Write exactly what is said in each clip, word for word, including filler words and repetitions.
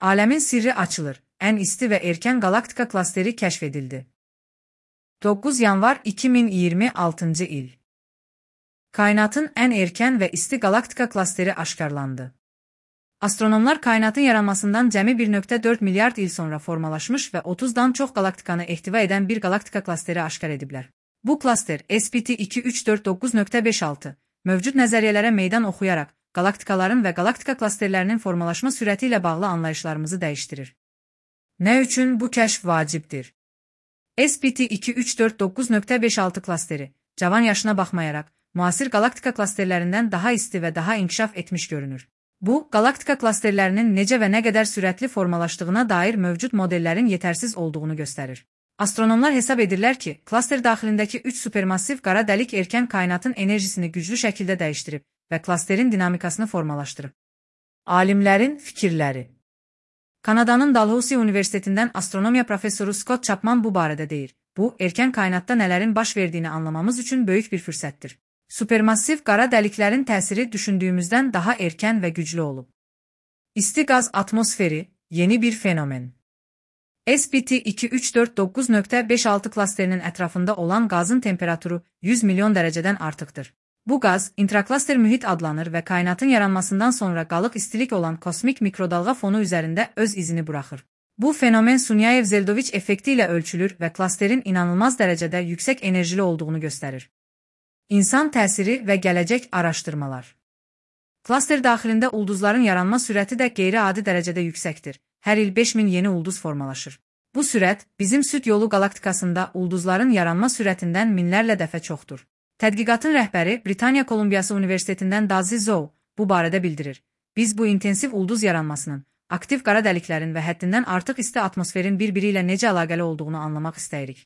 Alemin sirri açılır. En isti ve erken galaktika klasteri keşfedildi. dokuz yanvar iki bin iyirmi altıncı il. Kainatın en erken ve isti galaktika klasteri aşkarlandı. Astronomlar kainatın yaranmasından cəmi bir nöqtə dörd milyard il sonra formalaşmış ve otuzdan çox galaktikanı ehtiva eden bir galaktika klasteri aşkar ediblər. Bu klaster S P T iki üç dörd doqquz nöqtə beş altı mövcud nəzəriyyələrə meydan oxuyaraq galaktikaların və galaktika klasterlərinin formalaşma sürəti ilə bağlı anlayışlarımızı dəyişdirir. Nə üçün bu kəşf vacibdir? S P T iki üç dörd doqquz nöqtə beş altı klasteri, cavan yaşına baxmayaraq, müasir galaktika klasterlərindən daha isti və daha inkişaf etmiş görünür. Bu, galaktika klasterlərinin necə və nə qədər sürətli formalaşdığına dair mövcud modellərin yetərsiz olduğunu göstərir. Astronomlar hesab edirlər ki, klaster daxilindəki üç supermassiv qara dəlik erkən kainatın enerjisini güclü şəkildə dəyişdirib və klasterin dinamikasını formalaşdırıb. Alimlərin fikirləri. Kanadanın Dalhousie Universitetindən astronomiya professoru Scott Chapman bu barədə deyir. Bu, erkən kainatda nələrin baş verdiyini anlamamız üçün böyük bir fürsətdir. Supermassiv qara dəliklərin təsiri düşündüyümüzdən daha erkən və güclü olub. İsti qaz atmosferi, yeni bir fenomen. S P T iki üç dörd doqquz nöqtə beş altı klasterinin ətrafında olan qazın temperaturu yüz milyon dərəcədən artıqdır. Bu qaz, intraklaster mühit adlanır və kainatın yaranmasından sonra qalıq istilik olan kosmik mikrodalğa fonu üzərində öz izini buraxır. Bu fenomen Sunyaev-Zeldovich effekti ilə ölçülür və klasterin inanılmaz dərəcədə yüksək enerjili olduğunu göstərir. İnsan təsiri və gələcək araşdırmalar. Klaster daxilində ulduzların yaranma sürəti də qeyri-adi dərəcədə yüksəkdir. Hər il beş min yeni ulduz formalaşır. Bu sürət, bizim süd yolu galaktikasında ulduzların yaranma sürətindən minlərlə dəfə çoxdur. Tədqiqatın rəhbəri Britaniya Kolumbiyası Universitetindən Dazi Zhou bu barədə bildirir. Biz bu intensiv ulduz yaranmasının, aktiv qara dəliklərin və həddindən artıq isti atmosferin bir-biri ilə necə əlaqəli olduğunu anlamaq istəyirik.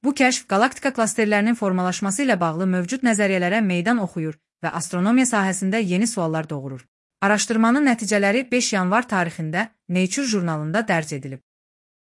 Bu kəşf galaktika klasterlərinin formalaşması ilə bağlı mövcud nəzəriyyələrə meydan oxuyur və astronomiya sahəsində yeni suallar doğurur. Araşdırmanın nəticələri beş yanvar tarixində Nature jurnalında dərc edilib.